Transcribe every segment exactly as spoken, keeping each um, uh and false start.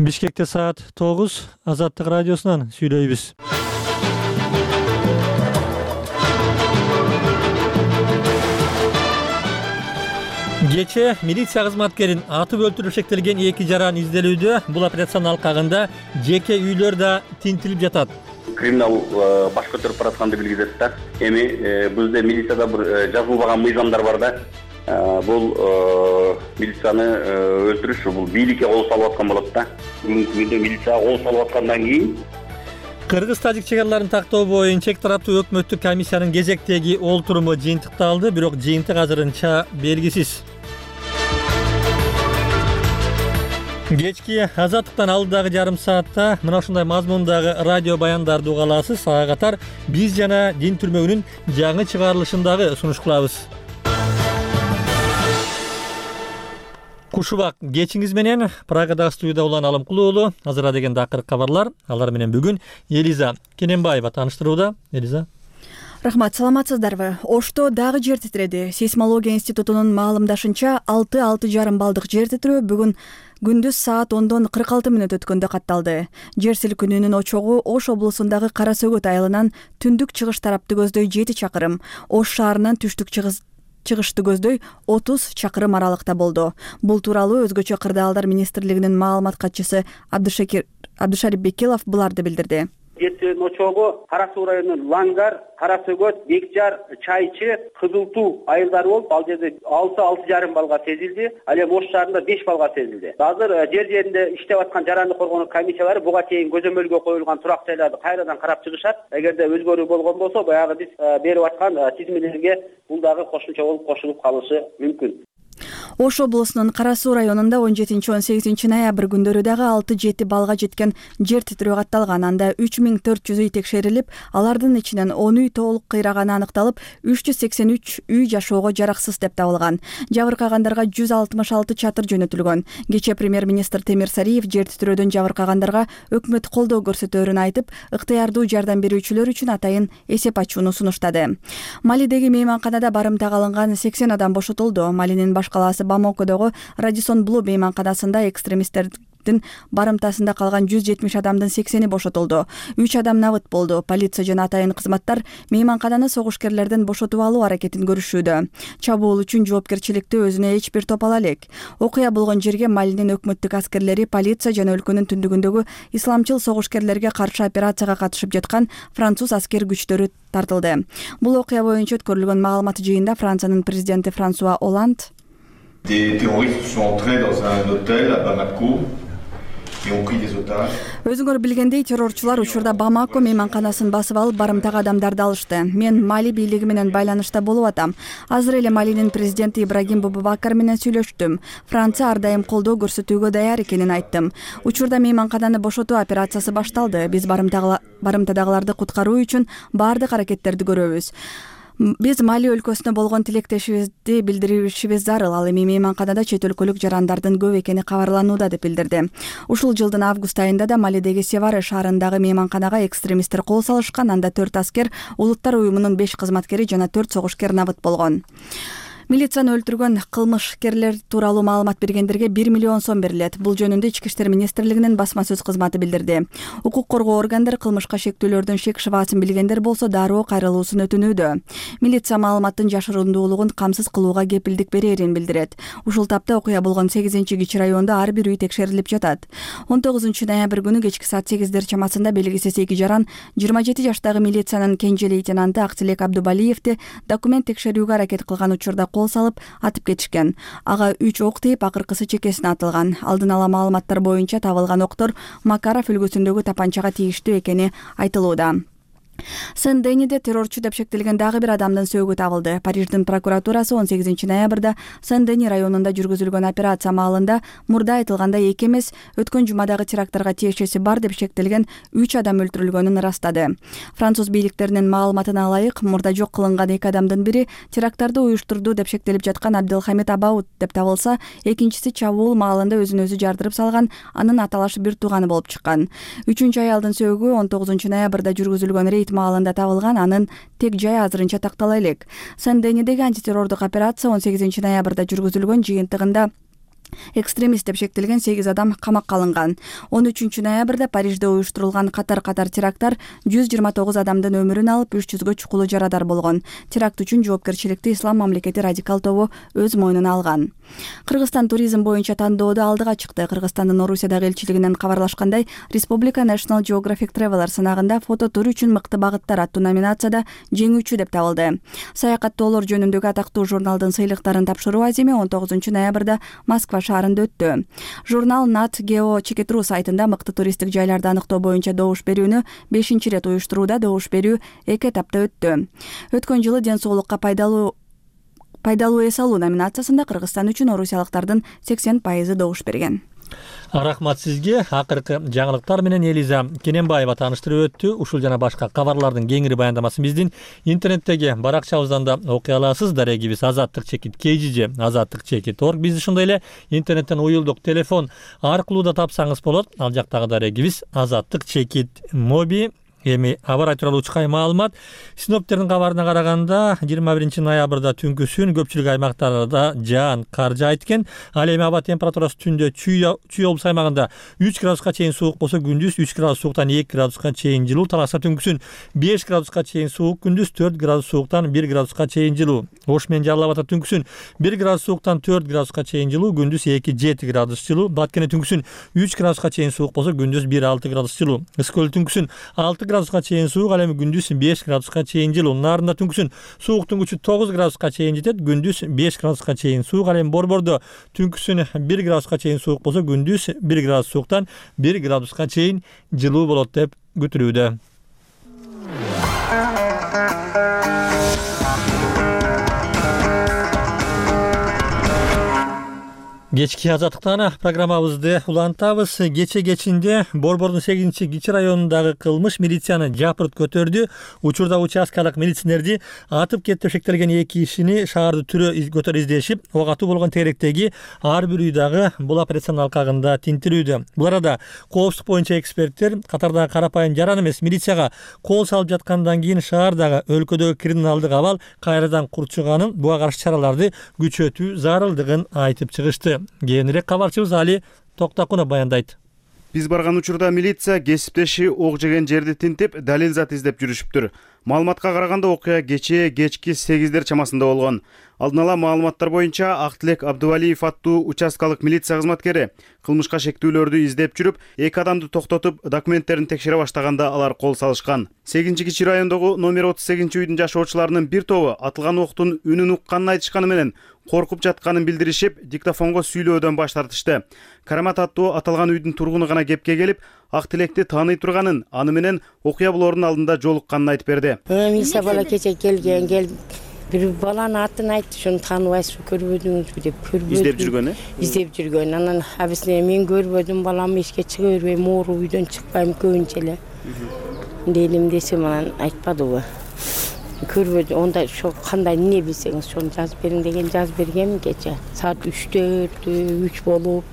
Бишкекте саат тогуз, Азаттык радиосунан сүйлөйбүз. Кече милиция кызматкерин атып өлтүрүп шектелген эки жаран изделүүдө. Бул операциянын алкагында жеке үйлөр да тинтилип жатат. Криминал баш көтөрүп баратканды билгизет да. Эми бизде милицияда бир жазылбаган мыйзамдар бар да. Бул милицияны өлтүрүш, бул бийликке кол салып аткан болот да. Бүгүнкү күндө милицияга кол салып аткандан кийин Кыргыз-тажик чекараларын тактоо боюнча эки тараптуу өкмөттүк комиссиянын кезектеги олтуруму жыйынтыкталды, бирок жыйынтык азырынча белгисиз. Кечки Азаттыктан алдыдагы жарым саатта мына ушундай мазмундагы радио баяндарды уга аласыз. Ага катар биз жана Дин түрмөгүнүн жаңы чыгарылышын дагы сунуш кылабыз. Кушубак кечиңиз менен Прагадагы студияда улан Алымкулуу уулу. Азыр деген акыркы кабарлар. Алар менен бүгүн Элиза Кененбаева тааныштырууда. Элиза. Рахмат, саламатсыздарбы? Ошто дагы жер титиреди. Сейсмология институтунун маалымдашынча алты алты жарым балдык жер титирөө бүгүн күндүз саат ондон кырк алты мүнөт өткөндө катталды. Жер силкинүүнүн очогу Ош облусундагы Кара Сөгөт айылынан түндүк чыгыш тарапты көздөй жети чакырым, Ош шаарынан түштүк чыгыш чыгышты көздөй отуз чакырым аралыкта болду. Бул тууралуу Өзгөчө кырдаалдар министрлигинин маалымат катчысы Абдышакир Абдышарип Бекилов буларды билдирди. Жетинин очогу Кара Суу районунун Лангар, Кара Сөгөт, Бекжар, Чайчы, Кызыл Туу айылдары болуп, ал жерде алты алты жарым балга сезилди. Ал эми Ош шаарында беш балга сезилди. Азыр жер жеринде иштеп аткан жарандык коргонуу комиссиялары буга чейин көзөмөлгө коюлган турак жайларды кайрадан карап чыгышат. Эгерде өзгөрүү болгон болсо, баягы биз берип аткан тизмелерге бул дагы кошумча болуп кошулуп калышы мүмкүн. Ош облусунун Кара Суу районунда он жетинчи он сегизинчи ноябрь күндөрү дагы алты жети балга жеткен жер титирөө катталган. Анда үч миң төрт жүз үй текшерилип, алардын ичинен он үй толук кыйраганы аныкталып, үч жүз сексен үч үй жашоого жараксыз деп табылган. Жабыркагандарга жүз алтымыш алты чатыр жөнөтүлгөн. Кече премьер-министр Темир Сариев жер титирөөдөн жабыркагандарга өкмөт колдоо көрсөтөөрүн айтып, ыктыярдуу жардам берүүчүлөр үчүн атайын эсеп ачууну сунуштады. Малидеги мейманканада барымтага алынган сексен адам бошотулду. Малинин баш калаасы Бамакодогу Радисон Блу мейманканасында экстремисттердин барымтасында калган жүз жетимиш адамдын сексени бошотулду. үч адам набыт болду. Полиция жана атайын кызматтар мейманкананы согушкерлерден бошотуп алуу аракетин көрүшүүдө. Чабуул үчүн жоопкерчиликти өзүнө эч бир топ ала элек. Окуя болгон жерге Малинин өкмөттүк аскерлери, полиция жана өлкөнүн түндүгүндөгү исламчыл согушкерлерге каршы операцияга катышып жаткан француз аскер күчтөрү тартылды. Бул окуя боюнча өткөрүлгөн маалымат жыйында Франциянын президенти Франсуа Оланд Des terroristes sont entrés dans un hôtel à Bamako et ont pris des otages. Өзүңөр билгендей, террорчулар учурда Бамако мейманканасын басып алып, барымтага адамдарды алышты. Мен Мали бийлиги менен байланышта болуп атам. Азыр эле Малинин президенти Ибрагим Бубакар менен сүйлөштүм. Франция ар дайым колдоо көрсөтүүгө даяр экенин айттым. Учурда мейманкананы бошотуу операциясы башталды. Биз барымтадагыларды куткаруу үчүн баардык аракеттерди көрөбүз. Биз Мали өлкөсүнө болгон тилектешибизди билдиришибиз зарыл. Ал эми мейманканада чет өлкөлүк жарандардан көп экени кабарланууда деп билдирди. Ушул жылдын август айында да Малидеги Севары шаарындагы мейманканага экстремисттер кол салышкан. Анда төрт аскер, Улуттар уюмунун беш кызматкери жана төрт согушкер набыт болгон. Милицияны өлтүргөн кылмышкерлер тууралуу маалымат бергендерге бир миллион сом берилет. Бул жөнүндө Ички иштер министрлигинин басма сөз кызматы билдирди. Укук коргоо органдары кылмышка шектүүлөрдүн шек шыбаасын билгендер болсо дароо кайрылуусун өтүнүүдө. Милиция маалыматтын жашырундуулугун камсыз кылууга кепилдик берерин билдирет. Ушул тапта окуя болгон сегизинчи кичи райондо ар бир үй текшерилип жатат. он тогузунчу ноябрь күнү кечки саат сегиздер чамасында белгисиз эки жаран жыйырма жети жаштагы милициянын кенже лейтенанты Актилек Абдубалиевди документ текшерүүгө аракет кылган учурда кол салып атып кетишкен. Ага үч ок тийип, акыркысы чекесине атылган. Алдын ала маалыматтар боюнча табылган октор Макаров үлгүсүндөгү тапанчага тийиштүү экени айтылууда. Сен-Дениде террорчу деп шектелген дагы бир адамдын сөөгү табылды. Париждин прокуратурасы он сегизинчи ноябрда Сен-Дени районунда жүргүзүлгөн операция маалында мурда айтылгандай эки эмес, өткөн жумадагы терактарга тиешеси бар деп шектелген үч адам өлтүрүлгөнүн ырастады. Француз бийликтеринин маалыматына ылайык, мурда жок кылынган эки адамдын бири теракттарды уюштурду деп шектелип жаткан Абделхамид Абаут деп табылса, экинчиси чабуул маалында өзүн өзү жардырып салган, анын аталашы бир тууганы болуп чыккан. Үчүнчү аялдын сөөгү он тогузунчу ноябрда жүргүзүлгөн рейд маалында табылган, анын тек жай азырынча тактала элек. Сен-Денидеги антитеррордук операция он сегизинчи ноябрда жүргүзүлгөн, жыйынтыгында экстремист деп шектелген сегиз адам камакка алынган. он үчүнчү ноябрда Парижде уюштурулган катар-катар теракттар жүз жыйырма тогуз адамдын өмүрүн алып, үч жүзгө чукулуу жарадар болгон. Теракт үчүн жоопкерчиликти Ислам мамлекети радикал тобу өз мойнуна алган. Кыргызстан туризм боюнча тандоодо алдыга чыкты. Кыргызстандын Орусиядагы элчилигинен кабарлашкандай, Республика National Geographic Traveler сынагында фототур үчүн мыкты багыттар аттуу номинацияда жеңүүчү деп табылды. Саякаттоолор жөнүндөгү атактуу журналдын сыйлыктарын тапшыруу аземи он тогузунчу ноябрда Москва шаарында өттү. Журнал Nat Geo Чекитру сайтында мыкты туристтик жайларды аныктоо боюнча добуш берүүнү бешинчи ирет уюштурууда. Добуш берүү эки этапта өттү. Өткөн жылы ден соолукка пайдалуу пайдалуу эс алуу номинациясында Кыргызстан үчүн орусиялыктардын сексен пайызы добуш берген. Рахмат сизге. Акыркы жаңылыктар менен Элиза Кененбаева тааныштырып өттү. Ушул жана башка кабарлардын кеңири баяндамасын биздин интернеттеги баракчабыздан да окуй аласыз. Дарегибиз азаттык чекит кей жи же азаттык чекит точка орг. Бизди ошондой эле интернеттен уюлдук телефон аркылуу да тапсаңыз болот. Ал жактагы дарегибиз азаттык чекит моби. Эми аба ырай тууралуу чыкай маалымат. Синоптиктердин кабарына караганда жыйырма биринчи ноябрда түнкүсүн көпчүлүк аймактарда жаан кар жаайт экен. Ал эми аба температурасы түндө Чүй облус аймагында үч градуска чейин суук болсо, күндүз үч градус сууктан эки градуска чейин жылуу. Таласта түнкүсүн беш градуска чейин суук, күндүз төрт градус сууктан бир градуска чейин жылуу. Ош менен Жалал абадта түнкүсүн бир градус сууктан төрт градуска чейин жылуу, күндүз эки жети градус жылуу. Баткене түнкүсүн үч градуска чейин суук болсо, күндүз бир алты градус жылуу. Ысык көл түнкүсүн алты градуска чейин суук, ал эми күндүз беш градуска чейин жылуу. Нарында түнкүсүн сууктун күчү тогуз градуска чейин жетет, күндүз беш градуска чейин суук. Ал эми Борбордо түнкүсүн бир градуска чейин суук болсо, күндүз бир градус сууктан бир градуска чейин жылуу болот деп күтүлүүдө. Кечки азаттыктан программабызды улантабыз. Кече кечинде Борбордун сегизинчи кичи районундагы кылмыш милицияны жапырт көтөрдү. Учурда участкалык милиционерди атып кетти деп шектелген эки кишини шаарды түрө көтөр издешип, ок атуу болгон тегеректеги ар бир үйдагы бул операциянын алкагында тинтирүүдө. Бул арада коопсуздук боюнча эксперттер катардагы карапайым жаран эмес милицияга кол салып жаткандан кийин шаардагы өлкөдөгү криминалдык абал кайрадан курчуганын, буга каршы чараларды күчөтүү зарылдыгын айтып чыгышты. Кийинирээк кабарчыбыз Али Токтакунов баяндайт. Биз барган учурда милиция кесиптеши ок жеген жерди тинтип, далил зат издеп жүрүшүптүр. Маалыматка караганда окуя кечээ кечки сегиздер чамасында болгон. Алдын ала маалыматтар боюнча Актилек Абдувалиев аттуу участкалык милиция кызматкери кылмышка шектүүлөрдү издеп жүрүп, эки адамды токтотуп, документтерин текшере баштаганда алар кол салышкан. сегизинчи кичи райондогу номер отуз сегизинчи үйдүн жашоочуларынын бир тобу атылган октун үнүн укканын айтышканы менен коркуп жатканын билдиришип, диктофонго сүйлөөдөн баш тартышты. Карамат аттуу аталган үйдүн тургуну гана кепке келип, Актилекти тааный турганын, аны менен окуя болоордун алдында жолукканын айтып берди. Милиция бала кече келген, кел бир баланын атын айтты, шуну тааныбайсызбы, көрбөдүңүзбү деп. Көрбөдүм. Издеп жүргөн, э? Издеп жүргөн. Анан абисине мен көрбөдүм, балам эшикке чыга бербейм, оору үйдөн чыкпайм көбүнчө эле. Делим десем анан айтпадыбы. Көрбөдүм. Онда ошо кандай эмне билсеңиз, шону жазып бериң деген жазып бергенмин кече. Саат үчтө, үч болуп,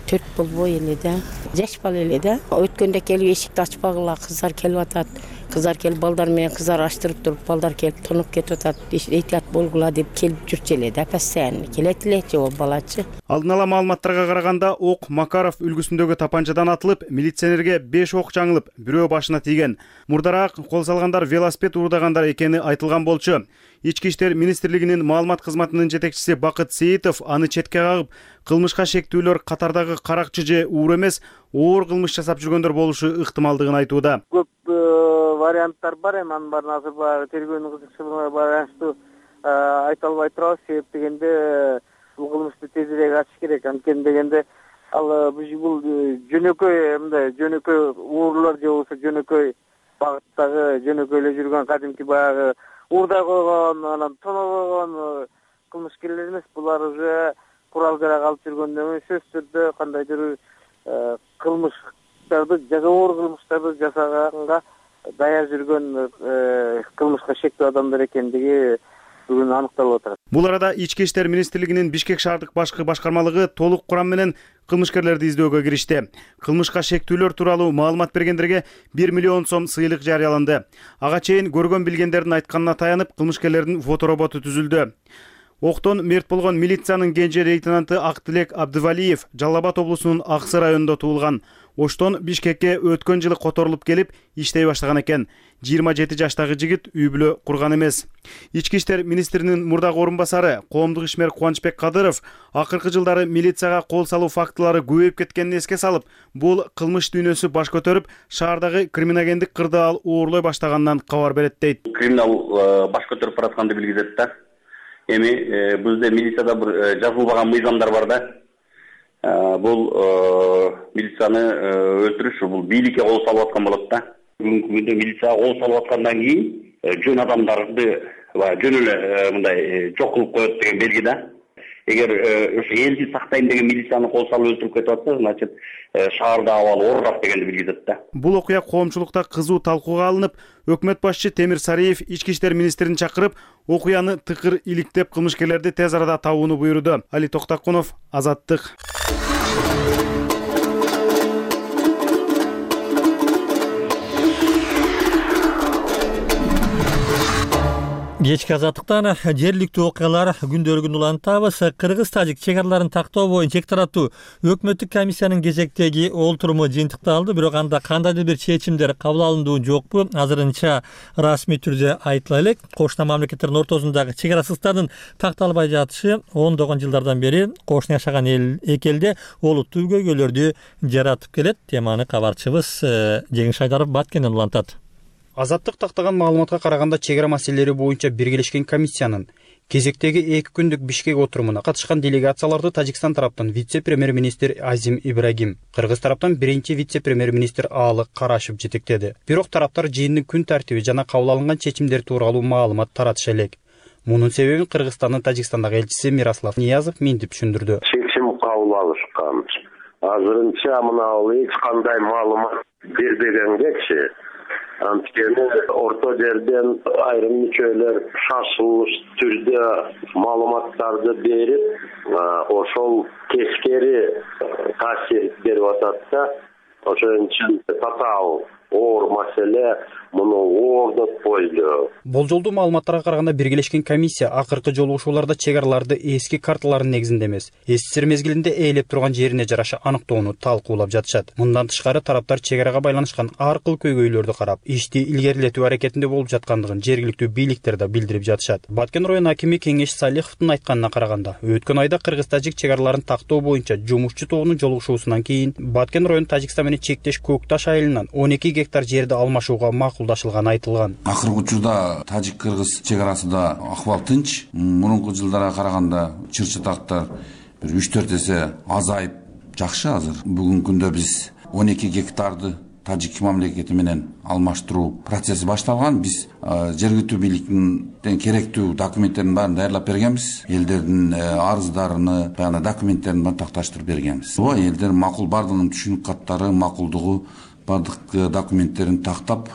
төрт болбой эле да. Жаш бала эле да. Өткөндө келип эшикти ачпагыла, кыздар келип атат. Кыздар келип балдар менен кыздар аштырып туруп, балдар келип тонуп кетип атат. Эhtiyat болгула деп келип жүрчү эле да, постоянно келет элечи ол балачы. Алдын ала маалыматтарга караганда, ок Макаров үлгүсүндөгү тапанчадан атылып, милиционерге беш ок жаңылып, бирөө башына тийген. Мурдараак кол салгандар велосипед уурдагандар экени айтылган болчу. Ички иштер министрлигинин маалымат кызматынын жетекчиси Бакыт Сейитов аны четке кагып, кылмышка шектүүлөр катардагы каракчы же уур эмес, оор кылмыш жасап жүргөндөр болушу ыктымалдыгын айтууда. Көп варианттар бар, эми анын баарын азыр баягы тергөөнүн кызыкчылыгына байланыштуу айта албай турабыз. Себеп дегенде бул кылмышты тезирээк ачыш керек. Анткени дегенде ал бул жөнөкөй мындай жөнөкөй уурлар же болбосо жөнөкөй багыттагы жөнөкөй эле жүргөн кадимки баягы уурдай койгон, анан тоно койгон кылмышкерлер эмес. Булар уже курал жарак алып жүргөндөн сөзсүз түрдө кандайдыр кылмыштарды, оор кылмыштарды жасаганга даяр жүргөн кылмышка шектүү адамдар экендиги бүгүн аныкталып атат. Бул арада Ички иштер министрлигинин Бишкек шаардык башкы башкармалыгы толук курам менен кылмышкерлерди издөөгө киришти. Кылмышка шектүүлөр тууралуу маалымат бергендерге бир миллион сом сыйлык жарыяланды. Ага чейин көргөн билгендердин айтканына таянып, кылмышкерлердин фотороботу түзүлдү. Октон мерт болгон милициянын кенже лейтенанты Актилек Абдывалиев Жалал Абад облусунун Аксы районунда туулган. Оштон Бишкекке өткөн жылы которулуп келип иштей баштаган экен. жыйырма жети жаштагы жигит үй бүлө курган эмес. Ички иштер министринин мурдагы орун басары коомдук ишмер Кубанычбек Кадыров акыркы жылдары милицияга кол салуу фактылары көбөйүп кеткенин эске салып, бул кылмыш дүйнөсү баш көтөрүп, шаардагы криминогендик кырдаал оорлой баштагандан кабар берет дейт. Криминал баш көтөрүп баратканды билгизет да. Эми бизде милицияда бир жазылбаган мыйзамдар бар да. Бул милицияны өлтүрүш бул бийликке кол салып аткан болот да. Бүгүнкү күндө милицияга кол салып аткандан кийин жөн адамдарды жөн эле мындай жок кылып коет деген белги да. Эгер ошо элди сактайм деген милицияны кол салып өлтүрүп кетип атса, значит шаарда абал оорурат дегенди билгизет да. Бул окуя коомчулукта кызуу талкууга алынып, өкмөт башчы Темир Сариев ички иштер министрин чакырып, окуяны тыкыр иликтеп кылмышкерлерди тез арада табууну буйруду. Али Токтакунов, Азаттык. Кечки азаттыктан жергиликтүү окуялар күндөлүгүн улантабыз. Кыргыз-тажик чек араларын тактоо боюнча эки тараптуу өкмөттүк комиссиянын кезектеги олтуруму жыйынтыкталды, бирок анда кандайдыр бир чечимдер кабыл алындуу жокпу азырынча расмий түрдө айтыла элек. Кошуна мамлекеттердин ортосундагы чек арасыздардын такталбай жатышы ондогон жылдардан бери кошуна жашаган эл эки элде олуттуу көйгөйлөрдү жаратып келет. Теманы кабарчыбыз Жеңиш Айдаров Баткенден улантат. Азаттык тактаган маалыматка караганда чек ара маселелери боюнча биргелешкен комиссиянын кезектеги эки күндүк Бишкек отурумуна катышкан делегацияларды Тажикстан тараптан вице-премьер-министр Азим Ибрагим, Кыргыз тараптан биринчи вице-премьер-министр Аалык Карашев жетектеди. Бирок тараптар жыйындын күн тартиби жана кабыл алынган чечимдер тууралуу маалымат таратыша элек. Мунун себебин Кыргызстандын Тажикстандагы элчиси Мирослав Ниязов мынтип түшүндүрдү. Чечим кабыл алышкан. Азырынча мына эч кандай маалымат бербегенгечи анткени орто жерден айрым мүчөлөр шашылыш түрдө маалыматтарды берип, ошол тескери таасир берип атат да. Ошон үчүн татаал оор маселе муну оордоп койду. Болжолдуу маалыматтарга караганда биргелешкен комиссия акыркы жолугушууларда чек араларды эски карталардын негизинде эмес, СССР мезгилинде ээлеп турган жерине жараша аныктоону талкуулап жатышат. Мындан тышкары тараптар чек арага байланышкан ар кыл көйгөйлөрдү карап, ишти илгерилетүү аракетинде болуп жаткандыгын жергиликтүү бийликтер да билдирип жатышат. Баткен район акими Кеңеш Салиховдун айтканына караганда, өткөн айда Кыргыз-тажик чек араларын тактоо боюнча жумушчу тобунун жолугушуусунан кийин Баткен район Тажикстан менен чектеш Көк Таш айылынан он эки гектар жерди алмашууга макулдашылганы айтылган. Акыркы учурда Тажик-Кыргыз чек арасында акыбал тынч. Мурунку жылдарга караганда чыр-чатактар бир үч төрт эсе азайып жакшы азыр. Бүгүнкү күндө биз он эки гектарды Тажик мамлекети менен алмаштыруу процесси башталган. Биз жергиликтүү бийликтин керектүү документтерин баарын даярлап бергенбиз. Элдердин арыздарын, баягы документтерин баарын такташтырып бергенбиз. Бул элдер макул бардыгынын түшүнүк каттары, макулдугу бардык документтерин тактап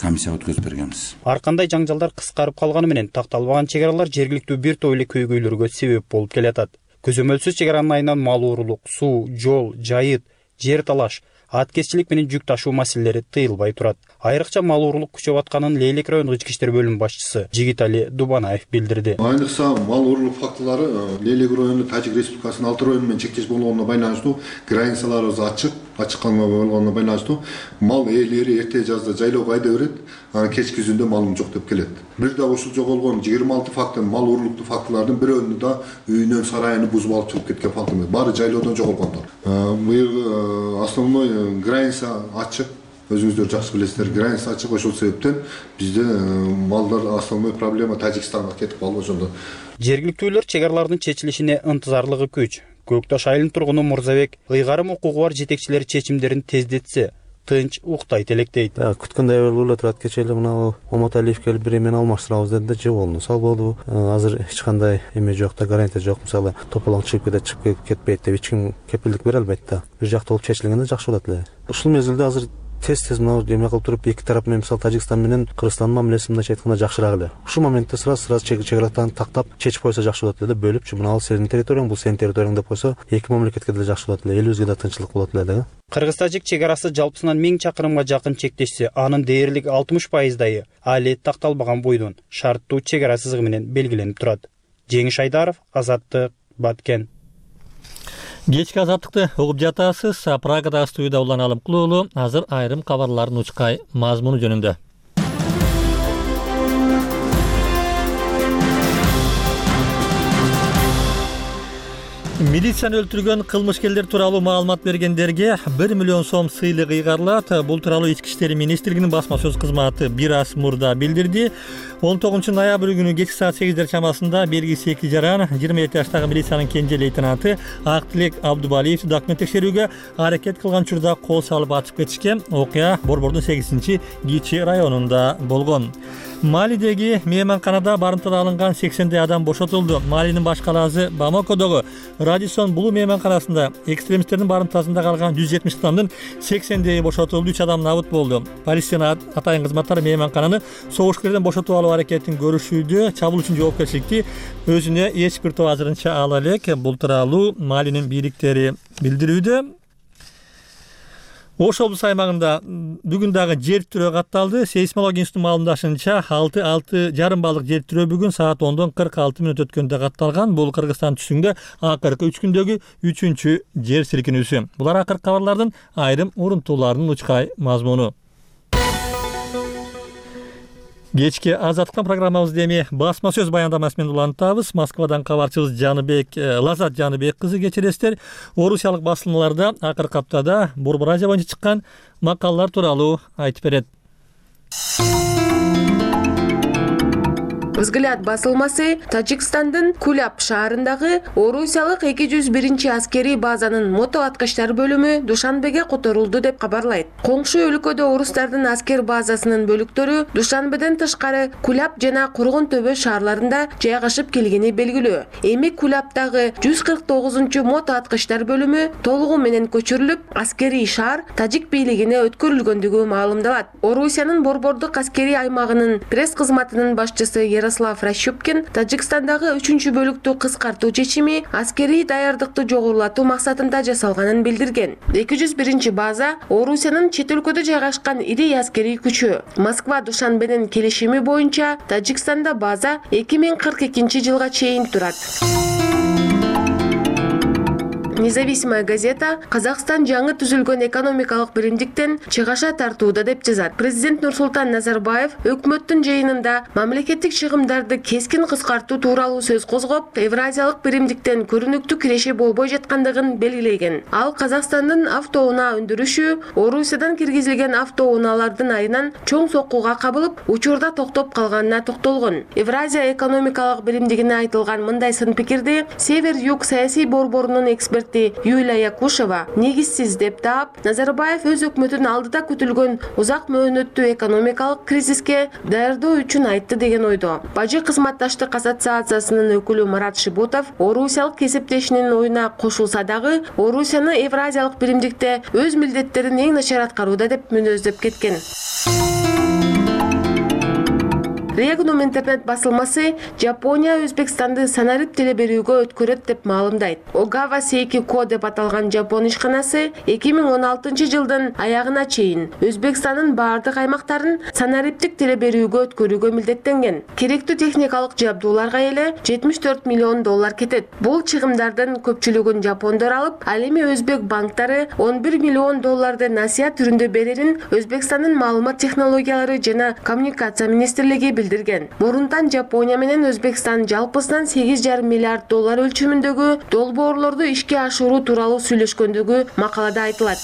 комиссияга өткөзүп бергенбиз. Ар кандай жаңжалдар кыскарып калганы менен такталбаган чек аралар жергиликтүү бир топ эле көйгөйлөргө себеп болуп келатат. Көзөмөлсүз чек аранын айынан мал уурулук, суу, жол, жайыт, жер талаш, аткезчилик менен жүк ташуу маселелери тыйылбай турат. Айрыкча мал уурулук күчөп атканын Лейлек райондук ички иштер бөлүмү башчысы Жигитали Дубанаев билдирди. Айрыкча мал уурулук фактылары Лейлек району Тажик Республикасынын алты району менен чектеш болгонуна байланыштуу границаларыбыз ачык, ачык калма болгонуна байланыштуу мал ээлери эрте жазда жайлоого айда берет, анан кечки күзүндө малым жок деп келет. Бир да ушул жоголгон жыйырма алты фактын мал уурулуктуу фактылардын бирөөнү да үйүнөн сарайын бузуп алып чыгып кеткен фактылар. Баары жайлоодон жоголгондор. Быйыл основной граница ачык. Өзүңүздөр жакшы билесиздер, граница ачык, ошол себептен бизде малдар основной проблема Тажикстанга кетип калды ошондо. Жергиликтүүлөр чек аралардын чечилишине ынтызарлыгы күч. Көк Таш айылынын тургуну Мурзабек ыйгарым укугу бар жетекчилер чечимдерин тездетсе, тынч уктайт элек дейт. Күткөндөй болуп эле турат. Кече эле мына Оматалиев келип бир эмени алмаштырабыз деди да, жеболду. Салбоду. Азыр эч кандай эме жок да, гарантия жок. Мисалы, тополоң чыгып кетет, чыгып кетпейт деп эч ким кепилдик бере албайт да. Бир жактуу болуп чечилгенде жакшы болот эле. Ушул мезгилде азыр тез-тез мына эме кылып туруп эки тарап менен мисалы Тажикстан менен Кыргызстандын мамилеси мындайча айтканда жакшыраак эле. Ушул моментте сразу-сразу чек араларын тактап чечип койсо жакшы болот эле, бөлүпчү. Мына ал сенин территорияң, бул сенин территорияң деп койсо, эки мамлекетке деле жакшы болот эле, элибизге да тынччылык болот эле да. Кыргыз-тажик чек арасы жалпысынан миң чакырымга жакын чектешсе, анын дээрлик алтымыш пайыздайы али такталбаган бойдон шарттуу чек ара сызыгы менен белгиленип турат. Жеңиш Айдаров, Азаттык, Баткен. Кечки азаттыкты угуп жатасыз. Прагадагы студияда Улан Алымкулуу уулу. Азыр айрым кабарлардын учкай мазмуну жөнүндө. Милицияны өлтүргөн кылмышкерлер тууралуу маалымат бергендерге бир миллион сом сыйлык ыйгарылат. Бул тууралуу Ички иштер министрлигинин басма сөз кызматы бир аз мурда билдирди. он тогузунчу ноябрь күнү кечки саат сегиздер чамасында белгисиз эки жаран жыйырма жети жаштагы милициянын кенже лейтенанты Актилек Абдубалиевди документ текшерүүгө аракет кылган учурда кол салып ачып кетишкен. Окуя Борбордун сегизинчи Кичи районунда болгон. Малидеги мейманканада барымтада алынган сексендей адам бошотулду. Малинин баш калаасы Бамакодогу Радисон Булу мейманканасында экстремисттердин барымтасында калган жүз жетимиш адамдын сексендейи бошотулду, үч адам набыт болду. Полициянын атайын кызматтары мейманкананы согушкерден бошотуп алуу аракетин көрүшүүдө, чабуул үчүн жоопкерчиликти өзүнө эч бир топ азырынча ала элек. Бул тууралуу Малинин бийликтери билдирүүдө. Ош облус аймагында бүгүн дагы жер тирөө катталды. Сейсмология институтунун маалымдашынча алты алты жарым баллык жер тирөө бүгүн саат ондон кырк алты мүнөт өткөндө катталган. Бул Кыргызстан түштүгүндө акыркы үч күндөгү үчүнчү жер силкинүүсү. Булар акыркы кабарлардын айрым урунтууларынын учкай мазмуну. Кечки азаттыктан программабызды эми басма сөз баяндамасы менен улантабыз. Москвадан кабарчыбыз Жаныбек Лазат Жаныбек кызы кечиресиздер. Орусиялык басылмаларда акыркы аптада Борбор Азия боюнча чыккан макалалар тууралуу айтып берет. Взгляд басылмасы Тажикстандын Куляб шаарындагы Орусиялык эки жүз биринчи аскерий базанын мото аткычтар бөлүмү Душанбеге которулду деп кабарлайт. Коңшу өлкөдө орустардын аскер базасынын бөлүктөрү Душанбеден тышкары Куляб жана Кургун төбө шаарларында жайгашып келгени белгилүү. Эми Кулябдагы жүз кырк тогузунчу мото аткычтар бөлүмү толугу менен көчүрүлүп, аскерий шаар тажик бийлигине өткөрүлгөндүгү маалымдалат. Орусиянын борбордук аскерий аймагынын пресс кызматынын башчысы Ярослав Ращупкин Тажикстандагы үчүнчү бөлүктү кыскартуу чечими аскерий даярдыкты жогорулатуу максатында жасалганын билдирген. эки жүз биринчи база Орусиянын чет өлкөдө жайгашкан ири аскерий күчү. Москва Душанбенин келишими боюнча Тажикстанда база эки миң кырк экинчи жылга чейин турат. Независимая газета Казакстан жаңы түзүлгөн экономикалык биримдиктен чыгаша тартууда деп жазат. Президент Нурсултан Назарбаев өкмөттүн жыйынында мамлекеттик чыгымдарды кескин кыскартуу тууралуу сөз козгоп, Евразиялык биримдиктен көрүнүктүү киреше болбой жаткандыгын белгилеген. Ал Казакстандын автоунаа өндүрүшү Орусиядан киргизилген автоунаалардын айынан чоң соккуга кабылып, учурда токтоп калганына токтолгон. Евразия экономикалык биримдигине айтылган мындай сын пикирди Север-Юг саясий борборунун эксперт Юлия Якушева негизсиз деп таап, Назарбаев өз өкмөтүнүн алдыда күтүлгөн узак мөөнөттүү экономикалык кризиске даярдоо үчүн айтты деген ойдо. Бажы кызматташтык ассоциациясынын өкүлү Марат Шибутов орусиялык кесиптешинин оюна кошулса дагы, Орусияны Евразиялык биримдикте өз милдеттерин эң начар аткарууда деп мүнөздөп кеткен. Регнум интернет басылмасы Жапония Өзбекстанды санарип теле берүүгө өткөрөт деп маалымдайт. Огава Сейкико деп аталган Жапон ишканасы эки миң он алтынчы жылдын аягына чейин Өзбекстандын баардык аймактарын санариптик теле берүүгө өткөрүүгө милдеттенген. Керектүү техникалык жабдууларга эле жетимиш төрт миллион доллар кетет. Бул чыгымдардын көпчүлүгүн жапондор алып, ал эми өзбек банктары он бир миллион долларды насыя түрүндө берерин Өзбекстандын маалымат технологиялары жана коммуникация министрлиги билдирген. Мурунтан Жапония менен Өзбекстан жалпысынан сегиз жарым миллиард доллар өлчөмүндөгү долбоорлорду ишке ашыруу тууралуу сүйлөшкөндүгү макалада айтылат.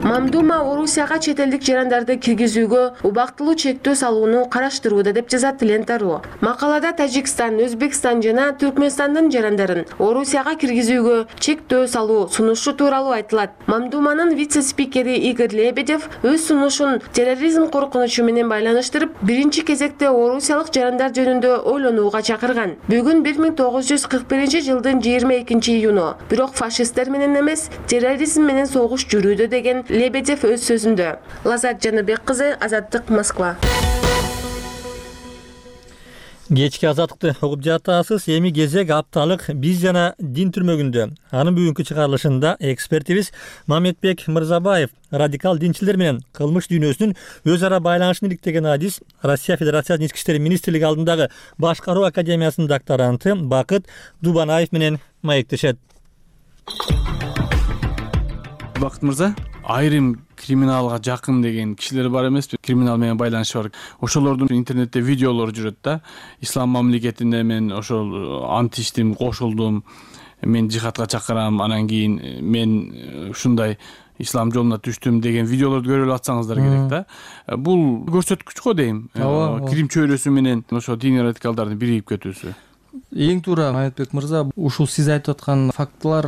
Мамдума Орусияга чет элдик жарандарды киргизүүгө убактылуу чектөө салууну караштырууда деп жазат Лента.ру. Макалада Тажикстан, Өзбекстан жана Түркмөнстандын жарандарын Орусияга киргизүүгө чектөө салуу сунушу тууралуу айтылат. Мамдуманын вице-спикери Игорь Лебедев өз сунушун терроризм коркунучу менен байланыштырып, биринчи кезекте орусиялык жарандар жөнүндө ойлонууга чакырган. Бүгүн бир миң тогуз жүз кырк биринчи жылдын жыйырма экинчи июну. Бирок фашисттер менен эмес, терроризм менен согуш жүрүүдө деген Лебедев өз сөзүндө. Лазат Жаныбек кызы, Азаттык, Москва. Кечки азаттыкты угуп жатасыз. Эми кезек апталык биз жана дин түрмөгүндө. Анын бүгүнкү чыгарылышында экспертибиз Мамедбек Мырзабаев радикал динчилер менен кылмыш дүйнөсүнүн өз ара байланышын иликтеген адис Россия Федерациясынын ички иштер министрлиги алдындагы башкаруу академиясынын докторанты Бакыт Дубанаев менен маектешет. Бакыт мырза, айрым криминалга жакын деген кишилер бар эмеспи? Криминал менен байланышы бар. Ошолордун интернетте видеолору жүрөт да. Ислам мамлекетине мен ошол ант иштим, кошулдум, мен жихадка чакырам, анан кийин мен ушундай ислам жолуна түштүм деген видеолорду көрүп атсаңыздар керек да. Бул көрсөткүч го дейм. Крим чөйрөсү менен ошо диний радикалдардын биригип кетүүсү. Эң туура Мамедбек мырза, ушул сиз айтып аткан фактылар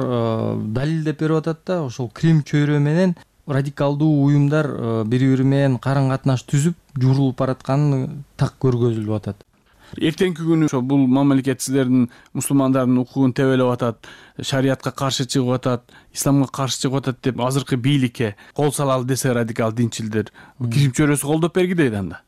далилдеп берип атат да. Ошол крим чөйрө менен радикалдуу уюмдар бири бири менен карым катнаш түзүп, журулуп баратканы так көргөзүлүп атат. Эртеңки күнү ошо бул мамлекет силердин мусулмандардын укугун тебелеп атат, шариятка каршы чыгып атат, исламга каршы чыгып атат деп азыркы бийликке кол салалы десе радикал динчилдер, крим чөйрөсү колдоп бергидей анда.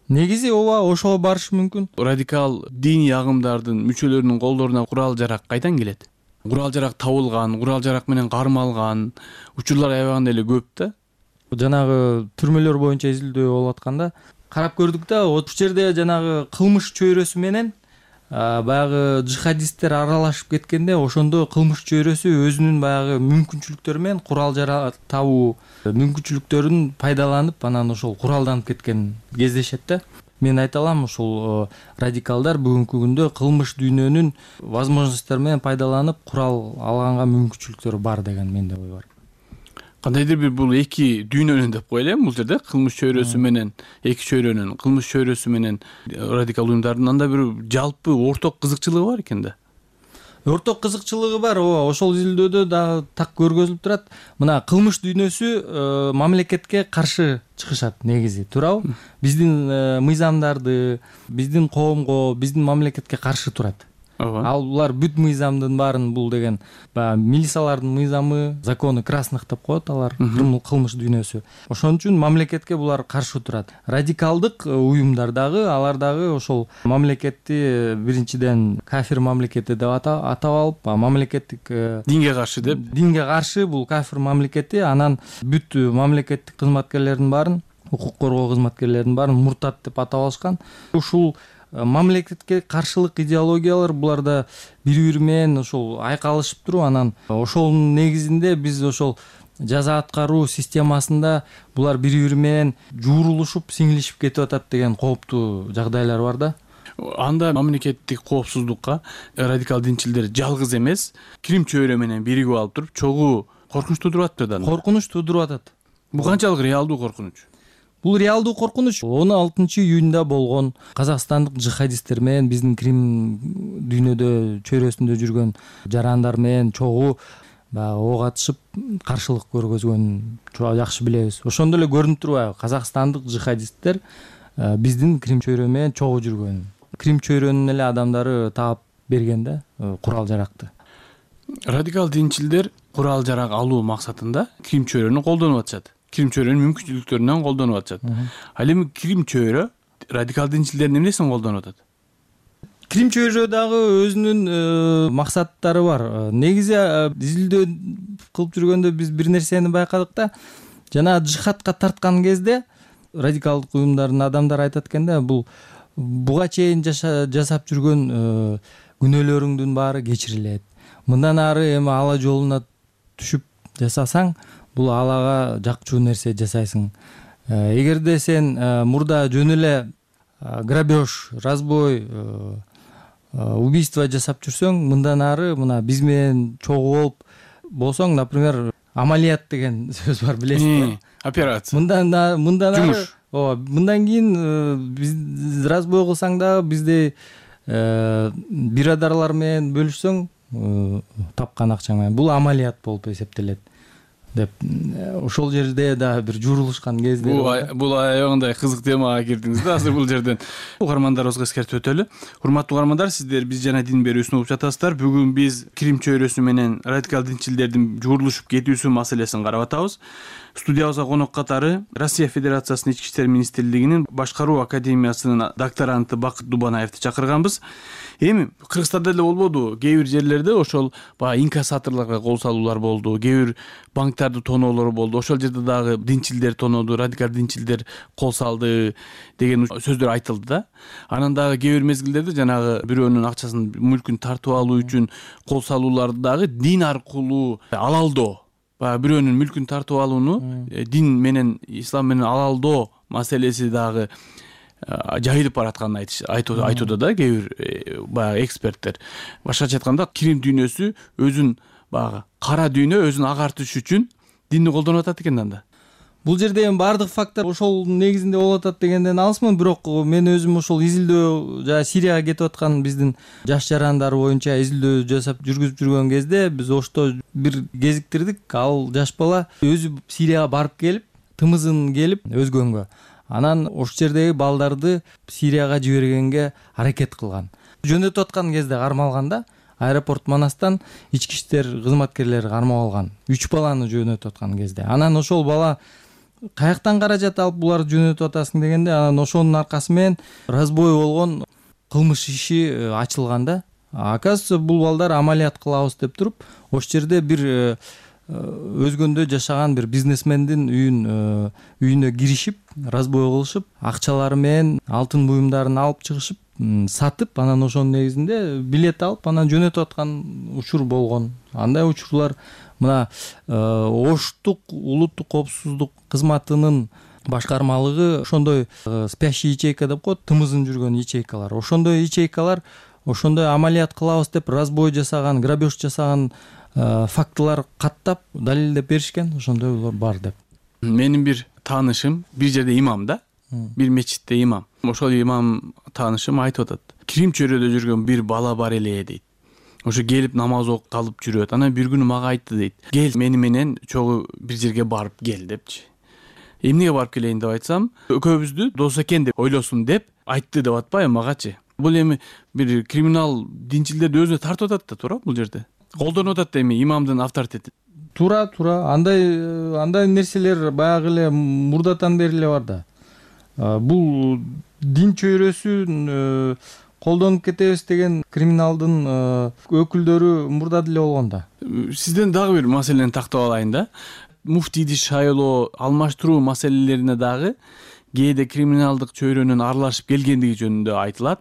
Негизи ооба ошого барышы мүмкүн. Радикал диний агымдардын мүчөлөрүнүн колдоруна курал-жарак кайдан келет? Курал-жарак табылган, курал-жарак менен кармалган учурлар аябаганда эле көп да. Жанагы түрмөлөр боюнча изилдөө болуп атканда карап көрдүк да, ошол жерде жанагы кылмыш чөйрөсү менен баягы жихадисттер аралашып кеткенде, ошондо кылмыш чөйрөсү өзүнүн баягы мүмкүнчүлүктөрү менен курал-жарак табуу мүмкүнчүлүктөрүн пайдаланып, анан ошол куралданып кеткен кездешет да. Мен айта алам, ушул радикалдар бүгүнкү күндө кылмыш дүйнөнүн возможносттору менен пайдаланып курал алганга мүмкүнчүлүктөрү бар деген менде ой бар. Кандайдыр бир бул эки дүйнөнүн деп коелу бул жерде, кылмыш чөйрөсү менен эки чөйрөнүн, кылмыш чөйрөсү менен радикал уюмдардын анда бир жалпы орток кызыкчылыгы бар экен да. Орток кызыкчылыгы бар, ооба, ошол изилдөөдө дагы так көргөзүлүп турат. Мына кылмыш дүйнөсү мамлекетке каршы чыгышат негизи, туурабы? Биздин мыйзамдарды, биздин коомго, биздин мамлекетке каршы турат. Ал булар бүт мыйзамдын баарын бул деген баягы милициялардын мыйзамы, законы красных деп коет алар, кылмыш дүйнөсү. Ошон үчүн мамлекетке булар каршы турат. Радикалдык уюмдар дагы, алар дагы ошол мамлекетти биринчиден кафир мамлекети деп атап алып, мамлекеттик динге каршы деп, динге каршы бул кафир мамлекети, анан бүт мамлекеттик кызматкерлердин баарын, укук коргоо кызматкерлердин баарын муртат деп атап алышкан. Ушул мамлекетке каршылык идеологиялар буларда бири-бири менен ошол айкалышып туруп, анан ошонун негизинде биз ошол жаза аткаруу системасында булар бири-бири менен жуурулушуп, сиңилишип кетип атат деген кооптуу жагдайлар бар да. Анда мамлекеттик коопсуздукка радикал динчилдер жалгыз эмес, крим чөйрө менен биригип алып туруп, чогуу коркунуч туудуруп атат да. Коркунуч туудуруп атат. Бул канчалык реалдуу коркунуч? Бул реалдуу коркунуч. он алтынчы июнда болгон казакстандык жихадисттер менен биздин крим дүйнөдө чөйрөсүндө жүргөн жарандар менен чогуу баягы ок атышып каршылык көргөзгөнүн жакшы билебиз. Ошондо эле көрүнүп турбайбы? Казакстандык жихадисттер биздин крим чөйрө менен чогуу жүргөн. Крим чөйрөнүн эле адамдары таап берген да курал-жаракты. Радикал динчилдер курал-жарак алуу максатында крим чөйрөнү колдонуп атышат. Крим чөйрөнүн мүмкүнчүлүктөрүнөн колдонуп атышат. Ал эми крим чөйрө радикал динчилдердин эмнесин колдонуп атат? Крим чөйрө дагы өзүнүн максаттары бар. Негизи изилдөө кылып жүргөндө биз бир нерсени байкадык да, жана жихадка тарткан кезде радикалдык уюмдардын адамдары айтат экен да, бул буга чейин жасап жүргөн күнөөлөрүңдүн баары кечирилет. Мындан ары эми ала жолуна түшүп жасасаң, бул алага жакчуу нерсе жасайсың. Эгерде сен мурда жөн эле грабеж, разбой, убийство жасап жүрсөң, мындан ары мына биз менен чогуу болуп болсоң, например, амалият деген сөз бар, билесиз. Операция. Мындан мындан ары, ооба, мындан кийин биз разбой кылсаң да бизде бирадарлар менен бөлүшсөң, тапкан акчаң менен, бул амалият болуп эсептелет. деп ошол жерде да бир журулушкан кездер бар. Бул аябагандай кызык темага кирдиңиз да азыр бул жерден. Угармандарыбызга эскертип өтөлү. Урматтуу угармандар, сиздер биз жана дин берүүсүн угуп жатасыздар. Бүгүн биз Крим чөйрөсү менен радикал динчилдердин журулушуп кетүүсү маселесин карап атабыз. Студиябызга конок катары Россия Федерациясынын Ички иштер министрлигинин башкаруу академиясынын докторанты Бакыт Дубанаевди чакырганбыз. Эми Кыргызстанда эле болбоду, кээ бир жерлерде ошол баягы инкассаторлорго кол салуулар болду, кээ бир банктарды тоноолор болду. Ошол жерде дагы динчилдер тонооду, радикал динчилдер кол салды деген сөздөр айтылды да. Анан дагы кээ бир мезгилдерде жанагы бирөөнүн акчасын, мүлкүн тартып алуу үчүн кол салууларды дагы дин аркылуу алалдоо, баягы бирөөнүн мүлкүн тартып алууну дин менен, ислам менен алалдоо маселеси дагы жайылып баратканын айтууда да кээ бир баягы эксперттер. Башкача айтканда, Крим дүйнөсү өзүн баягы кара дүйнө өзүн агартыш үчүн динди колдонуп атат экен анда. Бул жерде эми баардык факттар ошол негизинде болуп атат дегенден алысмын, бирок мен өзүм ошол изилдөө жана Сирияга кетип аткан биздин жаш жарандар боюнча изилдөө жасап жүргүзүп жүргөн кезде биз ошто бир кезиктирдик. Ал жаш бала өзү Сирияга барып келип, тымызын келип өзгөнгө, анан ошол жердеги балдарды Сирияга жибергенге аракет кылган. Жөнөтүп аткан кезде кармалганда аэропорт Манастан ички иштер кызматкерлери кармап алган. үч баланы жөнөтүп аткан кезде. Анан ошол бала каяктан каражат алып буларды жөнөтүп атасың дегенде, анан ошонун аркасы менен разбой болгон кылмыш иши ачылган да. Оказывается, бул балдар амалият кылабыз деп туруп, ошол жерде бир өзгөндө жашаган бир бизнесмендин үйүн үйүнө киришип, разбой кылышып, акчалары менен алтын буюмдарын алып чыгышып, сатып, анан ошонун негизинде билет алып, анан жөнөтүп аткан учур болгон. Андай учурлар мына Оштук улуттук коопсуздук кызматынын башкармалыгы ошондой спящий ячейка деп коет, тымызын жүргөн ячейкалар. Ошондой ячейкалар, ошондой амалият кылабыз деп разбой жасаган, грабеж жасаган фактылар каттап далилдеп беришкен, ошондой бар деп. Менин бир таанышым бир жерде имам да, бир мечитте имам. Ошол имам таанышым айтып атат. Крим чөйрөдө жүргөн бир бала бар эле дейт. Ошо келип намаз окуп калып жүрөт. Анан бир күнү мага айтты дейт. Кел мени менен чогуу бир жерге барып кел депчи. Эмнеге барып келейин деп айтсам, экөөбүздү дос экен деп ойлосун деп айтты деп атпайбы магачы. Бул эми бир криминал динчилдерди өзүнө тартып атат да, туура бул жерде. Колдонуп атат эми имамдын авторитети. Туура, туура. Андай андай нерселер баягы эле мурдатан бери эле бар да. Бул дин чөйрөсүн колдонуп кетебиз деген криминалдын өкүлдөрү мурда деле болгон да. Сизден дагы бир маселени тактап алайын да. Муфтийди шайлоо, алмаштыруу маселелерине дагы кээде криминалдык чөйрөнүн аралашып келгендиги жөнүндө айтылат.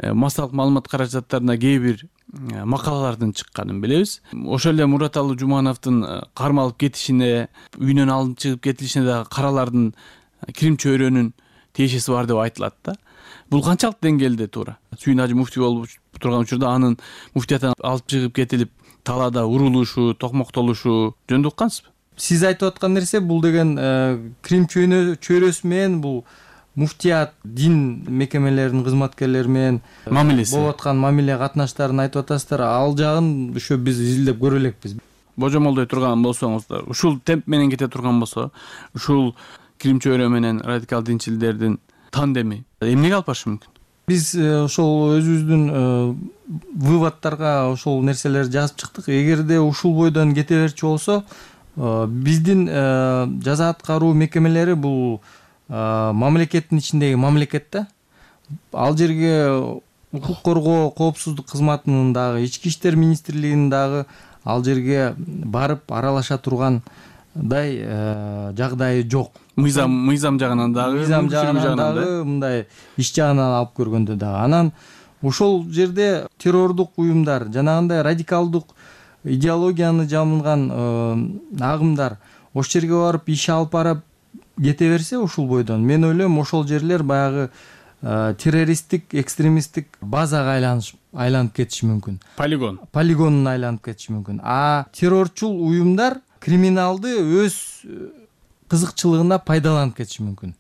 Массалык маалымат каражаттарына кээ бир макалалардын чыкканын билебиз. Ошол эле Мураталы Жумановдун кармалып кетишине, үйүнөн алынып чыгып кетилишине дагы каралардын Крим чөйрөнүн тиешеси бар деп айтылат да. Бул канчалык деңгээлде туура? Сүйүн Ажы муфтий болуп турган учурда анын муфтияттан алып чыгып кетилип, талаада урулушу, токмоктолушу жөнүндө уккансызбы? Сиз айтып аткан нерсе бул деген Крим чөйрөсү менен бул муфтият дин мекемелеринин кызматкерлери менен мамилеси болуп аткан мамиле катнаштарын айтып атасыздар. Ал жагын ошо биз изилдеп көрө элекпиз. Божомолдой турган болсоңуздар, ушул темп менен кете турган болсо, ушул Крим чөйрө менен радикал динчилдердин тандеми эмнеге алып барышы мүмкүн? Биз ошол өзүбүздүн выводторго ошол нерселерди жазып чыктык. Эгерде ушул бойдон кете берчү болсо, биздин жаза аткаруу мекемелери бул мамлекеттин ичиндеги мамлекет да. Ал жерге укук коргоо коопсуздук кызматынын дагы, ички иштер министрлигинин дагы ал жерге барып аралаша тургандай жагдайы жок. Мыйзам мыйзам жагынан дагы, мыйзам жагынан дагы, мындай иш жагынан алып көргөндө дагы. Анан ошол жерде террордук уюмдар, жанагындай радикалдык идеологияны жамылган агымдар ошол жерге барып иш алып барып кете берсе ушул бойдон, мен ойлойм ошол жерлер баягы террористтик, экстремисттик базага айланыш айланып кетиши мүмкүн. Полигон. Полигонуна айланып кетиши мүмкүн. А террорчул уюмдар криминалды өз кызыкчылыгына пайдаланып кетиши мүмкүн.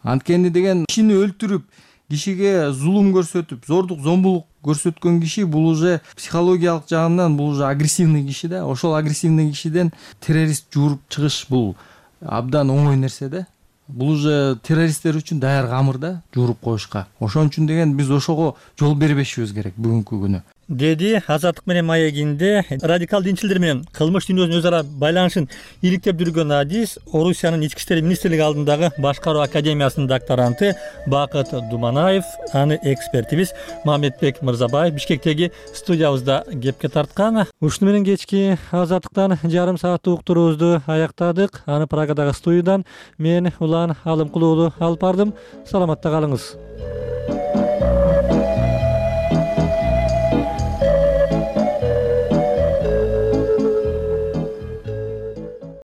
Анткени деген кишини өлтүрүп, кишиге зулум көрсөтүп зордук зомбулук көрсөткөн киши бул уже психологиялык жагынан бул уже агрессивный киши да. Ошол агрессивный кишиден террорист жууруп чыгыш бул абдан оңой нерсе да. Бул уже террористтер үчүн даяр камыр да, жууруп коюшка. Ошон үчүн деген биз ошого жол бербешибиз керек бүгүнкү күнү. Деди Азаттык менен маегинде радикал динчилдер менен кылмыш дүйнөсүнүн өз ара байланышын иликтеп жүргөн адис Орусиянын ички иштер министрлиги алдындагы башкаруу академиясынын докторанты Бакыт Думанаев, аны экспертибиз Мамедбек Мырзабаев Бишкектеги студиябызда кепке тарткан. Ушуну менен кечки Азаттыктан жарым сааттык уктуруубузду аяктадык. Аны Прагадагы студиядан мен Улан Алымкулуулу алып бардым. Саламатта калыңыз.